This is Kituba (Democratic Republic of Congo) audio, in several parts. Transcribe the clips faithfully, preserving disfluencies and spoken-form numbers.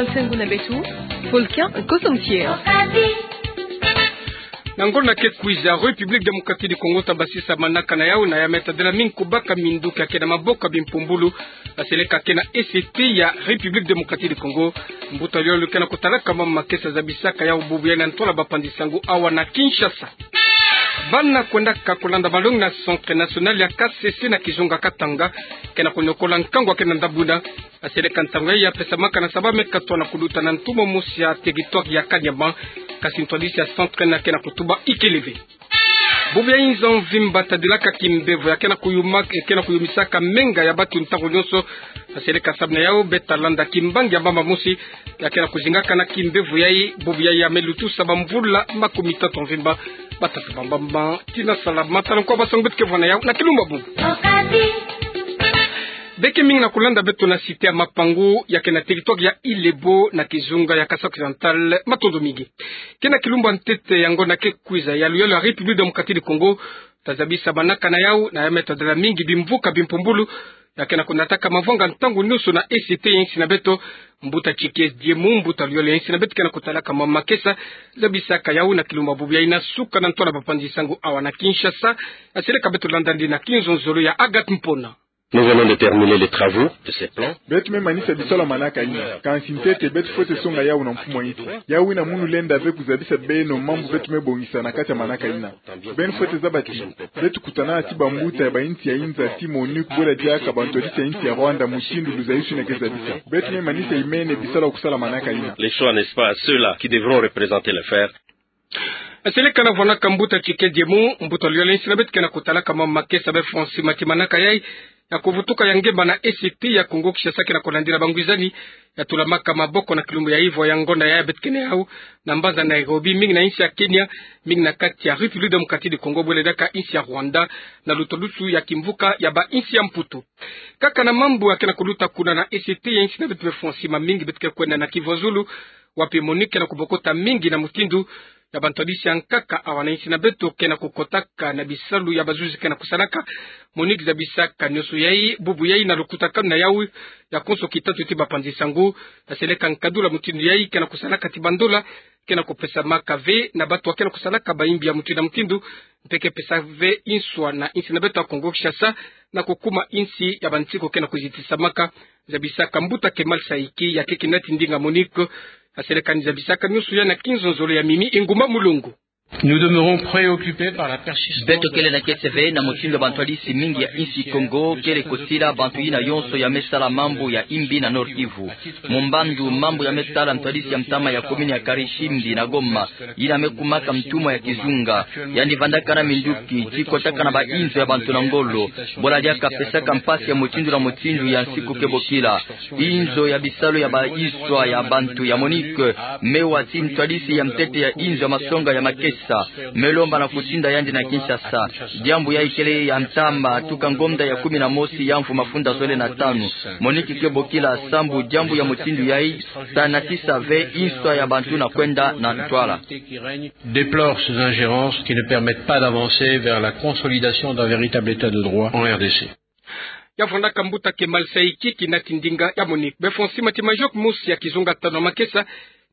Nsengo na beto, Volcan Kosomtier. Na ngonda ke kwiza, République Démocratique du Congo ta basisa manaka na yau na ya me tadila mingi kubaka minduki ya ke na maboko ya bimpumbulu, baseleka ke na E C T ya République Démocratique du Congo. Mbuta yolo ke na kutalaka mama makesa zabisaka yau bubu yayi na ntwala bapanzi sango awa na Kinshasa. Bana kwendaka kulanda malongi na Centre National ya Kasese na kizunga Katanga, ke na kuniokola nkangu ya ke na ndabuna. Baseleka ntangu yayi ya pesamaka na sababu me katwa na kuluta na ntu mosi ya territoire ya Kanyama, kasi ntwadisi ya centre na ke na kutuba ikele ve. Bubu ya inzo mvimba tadilaka kimbevo ya ke na kuyuma, ke na kuyumisaka menga ya batu ntangu nyonso. Baseleka sababu na yau be ta landa kimbangi ya mama mosi ya ke na kuzingaka na kimbevo yayi, bubu yayi ya me lutusa bamvula makumi tatu mvimba. Batata bambamba tina sala matala nkwa basango beto ke vwa na yau na kilumbu bubu. Be ke mingi na kulanda beto na cité ya Mapangu ya ke na territoire ya Ilebo na kizunga ya Kasai Occidental, matondo mingi. Ke na kilumbu ya ntete ya ngonda ke kwiza ya luyalo ya République Démocratique du Congo ta zabisa manaka na yau na ya me tadila mingi bimvuka bimpumbulu ya ke na kunataka mavanga ntangu nyonso na E C T ya insi na beto. Mbuta Tchikies Diemu, mbuta luyalo ya insi na beto, ke na kutalaka mama makesa zabisaka yau na kilumbu bubu yayi na suka na ntwala bapanzi sango awa na Kinshasa. Baseleka beto landa yandi na kinzonzolo ya Agathe Mpona. Nous venons de terminer les travaux de ces plans. Beto me manisa bisalu ya manaka yina. Kansi ntete beto fwete songa yau na mfumu ya insi. Yau yina munu lenda ve kuzabisa beno mambu beto me bongisa na kati ya manaka yina. Beno fwete zaba ti beto kutana ti bambuta ya ba insi ya inza ti MONUC bwela diaka bantwadisi ya insi ya Rwanda mutindu luzayisuni ke zabisa. Beto me manisa imene bisalu ya kusala manaka yina. Les choix, n'est-ce pas, à ceux-là qui devront représenter les frères. Baseleka na vwanaka mbuta Tchikies Diemu, mbuta luyalo ya insi na beto, ke na kutalaka mama makesa be fwa nsima ti manaka yayi ya kuvutuka ya ngemba na E C T ya Congo Kinshasa ke na kulandila bangwizani ya tulamaka maboko na kilumbu ya ivwa ya ngonda yayi beto ke na yau na mbanza Nairobi, mingi na insi ya Kenya, mingi na kati ya République Démocratique du Congo bwela diaka insi ya Rwanda, na lutolusu ya kimvuka ya ba insi ya Mputu. Kaka na mambu ya ke na kuluta kuna na E C T ya insi na beto, be fwa nsima mingi beto ke kwenda na Kivuazulu, wapi MONUC ke na kubokota mingi na mutindu ya bantwadisi ya nkaka awa na insi na beto ke na kukotaka na bisalu ya bazuzi ke na kusalaka. MONUC zabisaka nyonso yayi bubu yayi na lukutakanu na yau ya konso kitatu ti bapanzi sango. Baseleka nkadula mutindu yayi ke na kusalaka ti bandola ke na kupesamaka ve na batu ya ke na kusalaka bayimbi ya mutindu na mutindu, mpe ke pesa ve inswa na insi na beto ya Congo Kinshasa na kukuma insi ya bansiku ke na kuzitisamaka. Zabisaka mbuta Kemal Saïki ya ke kinati ndinga MONUC. Baseleka ni zabisaka nyonso yayi na kinzonzolo ya Mimi Inguma Mulongo. Nous demeurons préoccupés par la persistance. Beto kele na kese ve na mutindu ya bantwadisi mingi ya insi Congo kele kosila bantu yina yonso ya me sala mambu ya imbi na Nord-Kivu. Mu mbandu mambu ya me sala ntwadisi ya ntama ya commune ya Karishimbi na Goma, yina me kumaka ntumwa ya kizunga. Yandi vandaka na minduki ti kotaka na ba inzo ya bantu na ngolo, bwela diaka pesaka mpasi ya mutindu na mutindu ya nsiku ke bokila. Inzo ya bisalu ya ba iswa ya bantu ya MONUC me wa ti ntwadisi ya ntete ya inzo ya masonga ya makesa, me lomba na kutinda yandi na Kinshasa. Diambu yayi kele ya ntama tuka ngonda ya kumi na mosi ya mvu mafunda zole na tanu. MONUC ke bokila sambu diambu ya mutindu yayi ta natisa ve inswa ya bantu na kwenda na ntwala. Déplore ces ingérences qui ne permettent pas d'avancer vers la consolidation d'un véritable état de droit en R D C. Ya vandaka mbuta Kemal Saïki, kinati ndinga ya MONUC. Be fwa nsima ti majok mosi ya kizunga tanu ya makesa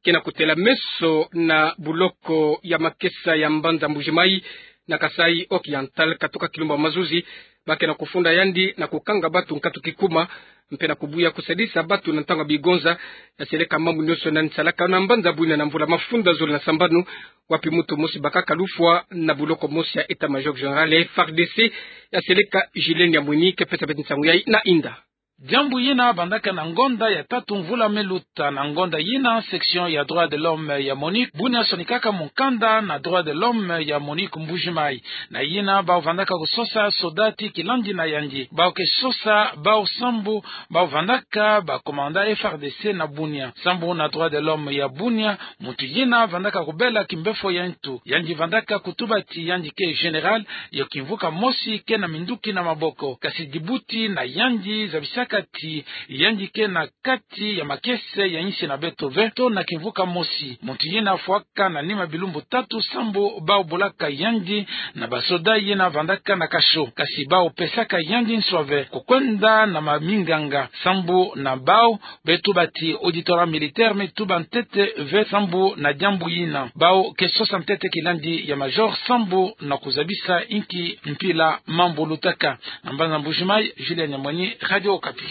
ke na kutela meso na buloko ya makesa ya mbanza Mbuji-Mayi na Kasaï Oriental, katuka kilumbu ya mazuzi, ba ke na kufunda yandi na kukanga batu nkatu kikuma, mpe na kubuya kusadisa batu na ntangu ya bigonza. Yaseleka mambu nyonso nani salaka na mbanza Bunia na mvula mafunda zole na sambanu, wapi muntu mosi bakaka lufwa na buloko mosi ya État-Major Général ya F A R D C, yaseleka Gilles Niamwini, ke pesa beto nsangu yayi na inda. Diambu yina bandaka na ngonda ya tatu mvula me luta. Na ngonda yina, section ya droit de l'homme ya MONUC, Bunia, sonikaka mukanda na droit de l'homme ya MONUC Mbuji-Mayi. Na yina, bau vandaka kusosa soda ti kilandi na yandi. Bau ke sosa bau sambu bau vandaka ba commandant F A R D C na Bunia. Sambu na droit de l'homme ya Bunia, muntu yina vandaka kubela kimbefo ya ntu. Yandi vandaka kutuba ti yandi ke général, yo kimvuka mosi ke na minduki na maboko. Kasi dibuti na yandi zabisa kati yandi ke na kati ya makese ya insi na beto ve, to na kimvuka mosi. Muntu yina fwaka na nima bilumbu tatu sambu bau bulaka yandi na basoda yina vandaka na kasho. Kasi bau pesaka yandi nswa ve, kukwenda na maminganga sambu na bau, beto bati auditorat militaire me tuba ntete ve sambu na diambu yina. Bau ke sosa ntete kilandi ya major sambu na kuzabisa inki mpila mambu lutaka. Na mbanza Mbuji-Mayi, Julien Nyamwani, Radio Okapi.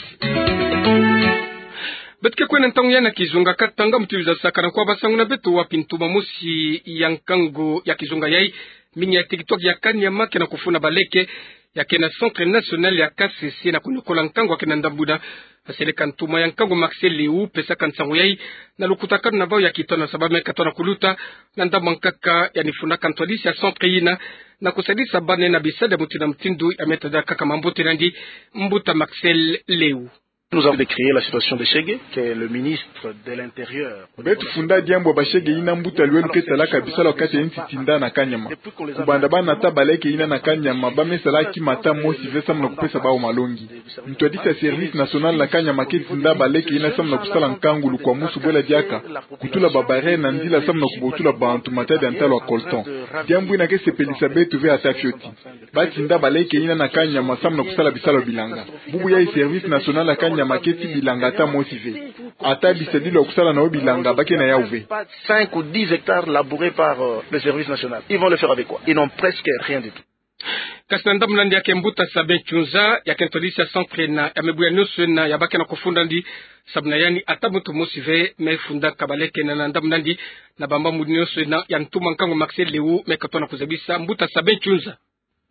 Beto ke kwenda ntangu yai na kizunga Katanga, muti luzasakana kwa basangu na beto wapi ntuma mosi ya nkangu ya kizunga yai, mingi ya tikitwaki ya kanyama ke na kufuna baleke ya ke na Centre National ya Kasese na kuniokola nkangu ya ke na ndambu yina. Seleka ntuma ya nkangu Marcel Lewu pesaka nsangu yai na lukutakanu na bau ya kitona sa ba me katona kuluta na ndambu ya nkaka ya nifunaka ntwadisi ya centre yina na kusadisa bana na bisalu ya mutindu na mutindu ya me tadaka kaka mambote nandi. Mbuta Marcel Lewu. Nous avons décrié la situation de Shege, que le ministre de l'Intérieur. Beto funda diambu ya ba Shege yina mbuta Luelu ke salaka bisalu kati ya insi tinda na kanyama. Kubanda ba nata baleke yina na kanyama, ba me sala kima ata mosi ve samu na kupesa bau malongi. Ntwadisi ya Service National na kanyama ke tinda baleke yina samu na kusala nkangu lukwamusu bwela diaka kutula ba barrière na nzila samu na kubotula bantu matadi ya ntalu ya coltan. Diambu yina ke sepelisa beto ve ata fioti. Ba tinda baleke yina na kanyama samu na kusala bisalu ya bilanga. Bubu yai Service National ya kanyama ke ti bilanga ata mosi ve. Ata bisadilu ya kusala na yo bilanga ba ke na yau ve. Cinq ou dix hectares labourés par, euh, le service national. Ils vont le faire avec quoi ? Ils n'ont presque rien du tout. Kasi na ndambu nandi ya ke mbuta Sabin Chunza, ya ke ntwadisi ya centre yina, ya mibu ya nionso yina ya ba ke na kufunda nandi, samu na yandi ata muntu mosi ve me fundaka baleke yina na ndambu nandi, na bambu nionso yina ya ntuma nkangu Marcel Lewu me katona kuzabisa. Mbuta Sabin Chunza.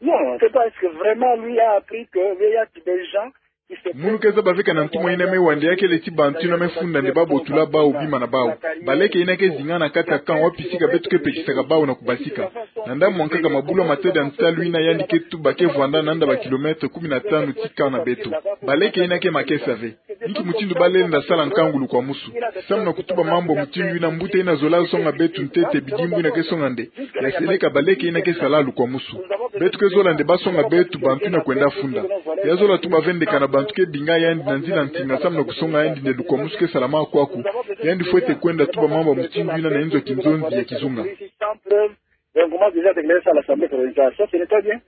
Non, c'est parce que vraiment, lui a appris que il y a des gens qui se Munu ke zaba ve kana ntuma yina me wanda ya kele ti bantu yina me funda nde ba botula bau bima na bau. Baleke yina ke zinga na kati ya camp wapi sika beto ke pekisaka bau na kubasika. Na ndambu ya nkaka mabulu ya matadi ya ntalu yina yandi ke tuba ke vwanda nanda ba kilomètre kumi na tanu ti camp na beto. Baleke yina ke makesa ve. Inki mutindu ba lenda sala nkangu lukwamusu? Samu na kutuba mambu ya mutindu yina, mbuta yina zola songa beto ntete bidimbu yina ke songa nde ya seleka baleke yina ke sala lukwamusu. Beto ke zola nde ba songa beto bantu yina kwenda funda. Ya zola tuba ve nde kana bantu ke binga yandi na nzila ntinga samu na kusonga yandi nde lukwamusu ke salama kwaku. Yandi fwete kwenda tuba mambu ya mutindu yina na inzo ya kinzonzi ya kizunga. Donc, moi, déjà, avec les à l'Assemblée provisoire, ça, ce n'est pas bien.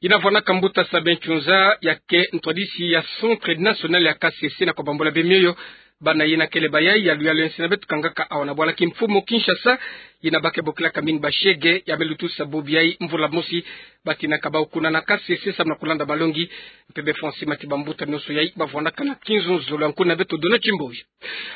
Yina vwanaka mbuta Sabin Chunza, ya ke ntwadisi ya Centre National ya Kasese, na kubambula bemioyo bana yina kele bayai ya luyalu ya nsi na beto kangaka awa na bwala kimfumu Kinshasa, yina ba ke bokilaka mingi ba Shege, ya me lutusa bubu yai mvula mosi. Ba tinaka bau kuna na Kasese samu na kulanda malongi, mpe be fwa nsi mati bambuta nionso yai ba vwanaka na kinzonzolo ya nkuna beto Dona Chimboyo.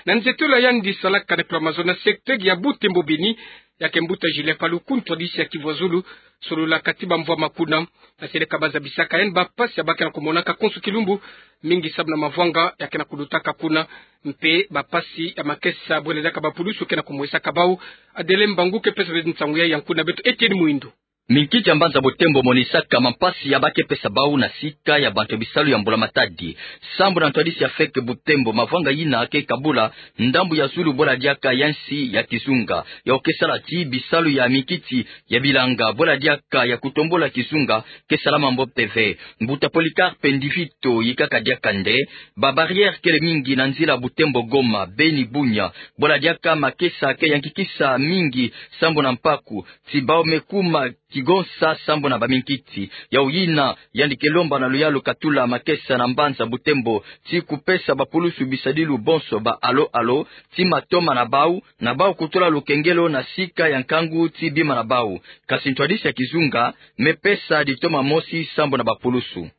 Na nzietolo ya yandi salaka na kula mazono na secteur ya Butembo Beni, ya ke mbuta Julien Paluku, ntwadisi ya Kivu ya Zulu, sololaka ti bamvwama kuna. Na seleka ba zabisaka yandi bampasi ya ba ke na kumonaka konso kilumbu, mingi samu na mavwanga ya ke na kulutaka kuna, mpe bampasi ya makesa bwela diaka bapulusu ke na kumwesaka bau. Adele Mbangu ke pesa beto nsangu yai ya nkuna beto Etienne Muindu. Minkiti ya mbanza Butembo monisaka mampasi ya ba ke pesa bau na sika ya bantu ya bisalu ya mbula matadi. Sambu na ntwadisi ya feke Butembo, mavwanga yina ke kabula ndambu ya zulu bwela diaka ya nsi ya kizunga, ya ke sala ti bisalu ya minkiti ya bilanga bwela diaka ya kutombula kizunga ke salama mbote ve. Mbuta Polycarpe Ndivito yikaka diaka nde ba barrière kele mingi na nzila Butembo Goma, Beni Bunia, bwela diaka makesa ke yankikisa mingi sambu na mpaku ti bau me kuma kigonsa sambu na baminkiti. Yau yina yandi ke lomba na luyalu katula makesa na mbanza Butembo ti kupesa bapulusu bisadilu bonso ba alo alo ti matoma na bau, na bau kutula lukengelo na sika ya nkangu ti bima na bau. Kasi ntwadisi ya kizunga me pesa ditoma mosi sambu na bapulusu.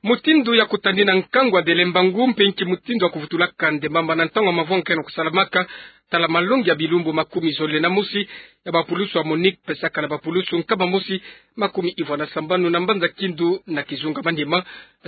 Mutindu ya kutadina nkangu Adele Mbangu mpe inki mutindu ya kuvutulaka nde mamba na ntangu ya mavwanga ke na kusalamaka, tala malongi ya bilumbu makumi zole na mosi ya bapulusu ya MONUC pesaka na bapulusu nkama mosi makumi ivwa na sambanu na mbanza Kindu na kizunga Maniema.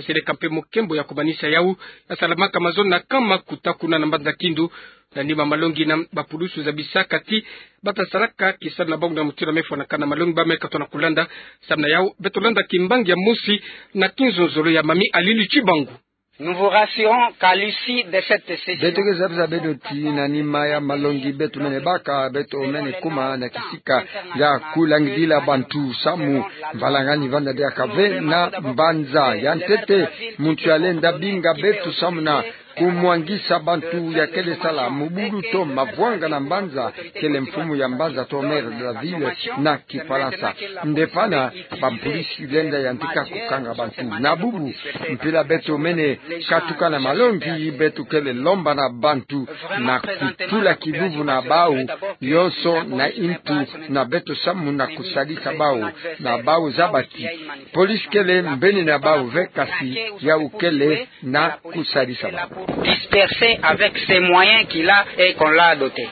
Seleka mpe mukembo ya kumanisa yau ya salamaka mazono na camp Makuta kuna na mbanza Kindu. Na nima malongi yina, bapulusu zabisaka ti bata salaka kisalu na bangu na mutindu ya me fwanakana malongi ba me katona kulanda. Samu na yau beto landa kimbangi ya mosi na kinzonzolo ya Mami Alili Chibangu. Nous vous rassurons qu'à l'issue de cette séjour, beto ke zabeza beno ti na nima ya malongi beto mene baka, beto mene kuma na kisika ya kulangidila bantu samu mbalangani vanda diaka ve na mbanza. Ya ntete, muntu yalenda binga beto samu na kumwangisa bantu ya kele sala mubulu to mavwanga na mbanza, kele mfumu ya mbanza to maire de la ville na kifalansa. Nde pana, bampolisi lenda yantika kukanga bantu. Na bubu, mpila beto mene katuka na malongi, beto kele lomba na bantu na kutula kivuvu na bau yonso na intu na beto samu na kusadisa bau na bau zabati. Polisi kele mbeni na bau ve, kasi yau kele na kusadisa bau. Dispersé avec ces moyens qu'il a et qu'on l'a doté.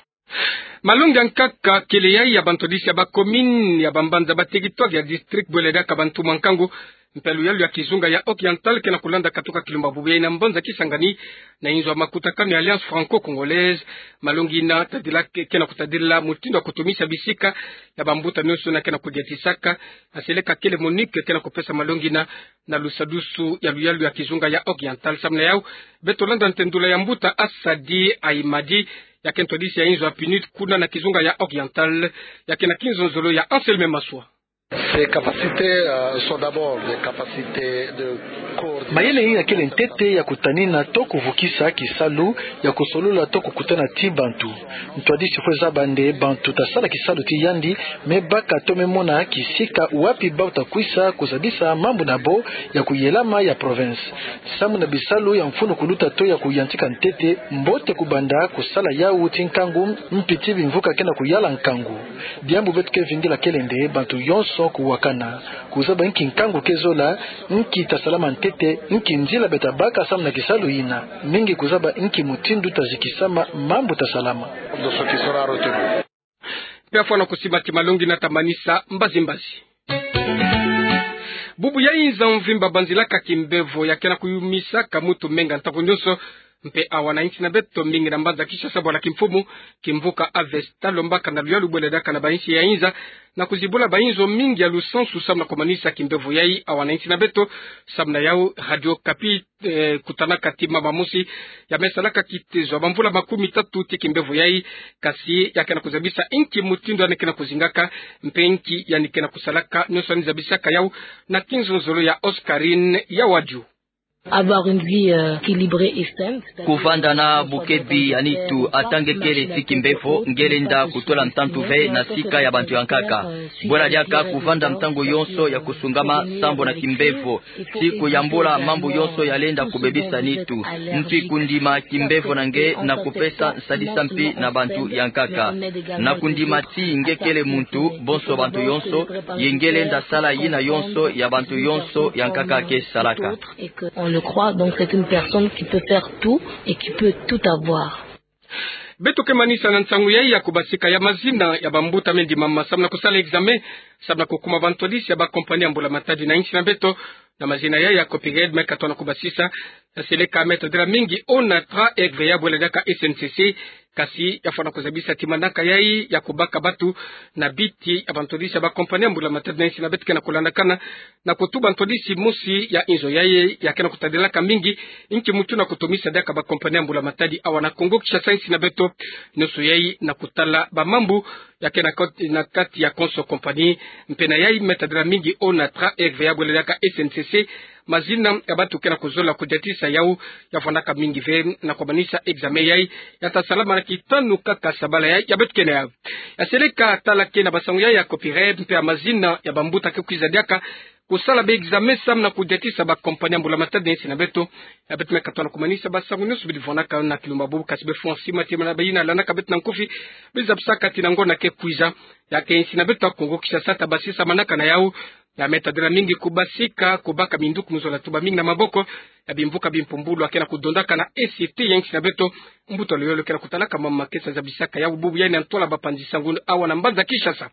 Malongi ya nkaka kele yayi ya bantwadisi ya bacommune, ya bambanza, baterritoire, ya district, bwele diaka bantu mwa nkangu, mpe luyalu ya kizunga ya Oriental ke na kulanda katuka kilumba bubu yayi na mbanza Kisangani, na inzo ya makutakanu ya Alliance Franco-Congolaise. Malongi yina tadila ke, ke na kutadila mutindu ya kutumisa bisika ya bambuta nionso yina ke na kudiatisaka. Aseleka kele Monique ke na kupesa malongi yina na lusadusu ya luyalu ya kizunga ya Oriental. Samu na yau, beto landa ntendula ya mbuta Asadi Aimadi, ya ke ntwadisi ya inzo ya PNUD kuna na kizunga ya Oriental, ya ke na kinzonzolo ya Anselme Maswa. Ces capacités, euh, sont d'abord des capacités de coordination. Mayele yayi ya kele ntete ya kutanina to kuvukisa kisalu, ya kusolola to kukutana ti bantu. Ntwadisi fwe zaba nde bantu tasala kisalu ti yandi, me baka to me mona kisika wapi bau takwisa kuzabisa mambu na bo ya kuyelama ya province. Samu na bisalu ya mfunu kuluta to ya kuyantika ntete, mbote kubanda kusala yau ti nkangu, mpiti bimvuka ke na kuyala nkangu. Diambu beto ke vingila kele nde bantu yonso kuwakana, kuzaba nki nkangu ke zola, nki tasalama ntete, nki nzila beta baka samu na kisalu yina. Mingi kuzaba nki mutindu tazikisama mambu tasalama. Mpe afwana kusimba ti malongi yina tamanisa mbazimbazi. Bubu yayi nza mvimba banzilaka kimbevo ya ke na kuyumisaka mutu menga ntangu nionso. Mpe awa na insi na beto, mingi na mbanza Kinshasa, bwala kimfumu, kimvuka Avesta, lombaka na luyalu bwele diaka na bainsi ya inza, na kuzibula bainzo mingi ya lusansu samu na kumanisa kimbevo yayi awa na insi na beto. Samu na yau, Radio Okapi, eh, kutanaka ti mama mosi ya me salaka kitezo ya bamvula makumi tatu ti kimbevo yayi, kasi ya ke na kuzabisa nki mutindu yandi ke na kuzingaka, mpe nki yandi ke na kusalaka, nionso yandi zabisaka yau na kinzonzolo ya Oscarine ya Wadiu. Avoir une vie, euh, équilibrée et saine, c'est-à-dire, kuvanda na bukebi ya nitu, ata nge kele ti kimbevo, nge lenda kutula ntantu ve na sika ya bantu ya nkaka. Bwala diaka kuvanda ntangu yonso ya kusungama sambu na kimbevo, ti kuyambula mambu yonso ya lenda kubebisa nitu. Mpi kundima kimbevo na nge na kupesa nsadisa mpi na bantu ya nkaka. Na kundima ti nge kele muntu, bonso bantu yonso, ye nge lenda sala yina yonso ya bantu yonso ya nkaka ke salaka. Et que on le croit, donc c'est une personne qui peut faire tout et qui peut tout avoir. Beto ke manisa na nsangu yayi ya kubasika ya mazina ya bambuta me ndimama samu na kusala examen, samu na kukuma bantwadisi ya bakompani ya mbula matadi na insi na beto. Na mazina yayi ya Copired me katona kubasisa, ya seleka me tadila mingi ONATRA, R V A bwele diaka S N C C, kasi ya fwana kuzabisa ti manaka yayi ya kubaka batu na biti ya bantwadisi ya bakompani ya mbula matadi na insi na beto ke na kulandakana, na kutuba ntwadisi mosi ya inzo yayi ya ke na kutadilaka mingi nki mutu na kutumisa diaka bakompani ya mbula matadi awa na Kongo Kinshasa, insi na beto. Nionso yayi na kutala bamambu ya ke na kot-, na kati ya konso kompani. Mpe na yayi me tadila mingi ONATRA, R V A bwele diaka S N C C, mazina ya batu ke na kuzola kudiatisa yau, ya fwanaka mingi ve na kumanisa examen yayi ya ta salama na kitanu kaka sabala yayi ya beto ke na yau. Ya seleka tala ke na basangu yayi ya Copired, mpe ya mazina ya bambuta ke kwiza diaka kusala ba examen samu na kudiatisa bakompani ya mbula matadi na insi na beto. Ya beto me katona kumanisa basangu nionso bidi fwanaka na kilumba bubu, kasi befwa sima ti mana bayina landaka beto na nkufi, bizabisaka ti na ngonda ke kwiza, ya ke insi na beto ya Kongo Kinshasa tabasisa manaka na yau, ya me tadila mingi kubasika, kubaka minduki mu zola tuba mingi na maboko ya bimvuka bimpumbulu ya ke na kudondaka na E C T ya insi na beto. Mbuta luyalu ke na kutalaka mama ke sa zabisaka yau bubu yayi na ntwala bapanzi sangu awa na mbanza Kinshasa.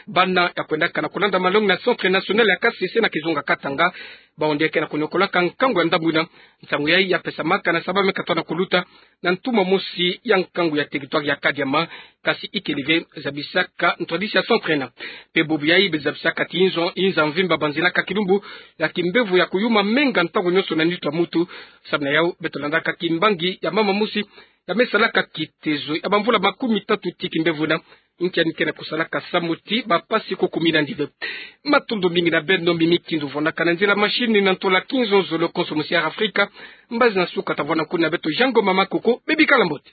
Bana ya kwendaka na kulanda malongi na Centre National ya K C C na kizunga Katanga, Bawu nde ke na koniokolaka nkangu ya ndambu ina. Nsangu yayi ya pesamaka na Saba me katoa na kuluta na ntumwa mosi ya nkangu ya territoire ya Kadiama, kasi ikele ve zabisaka ntwadisi ya centre ina. Mpe bubu yayi bezabisaka ti inzo, inza mvimba banzilaka kilumbu ya kimbevo ya koyuma menga ntangu nyonso na nitu ya mutu. Samu na yawu beto landaka kimbangi ya mama mosi ya me salaka kitezo ya bamvula makumi tatu ti kimbevo ina. Nkia ni ke na kosalaka samu ti bapasi ko kumi nandi ve. Matondo mingi na beno, Mimi Kindu vwandaka na nzila machine na ntola kinzonzolo konso musi ya Afrika. Mbazi na suka tavwanda kuna na beto Jean Ngoma Makoko, bebikala mbote.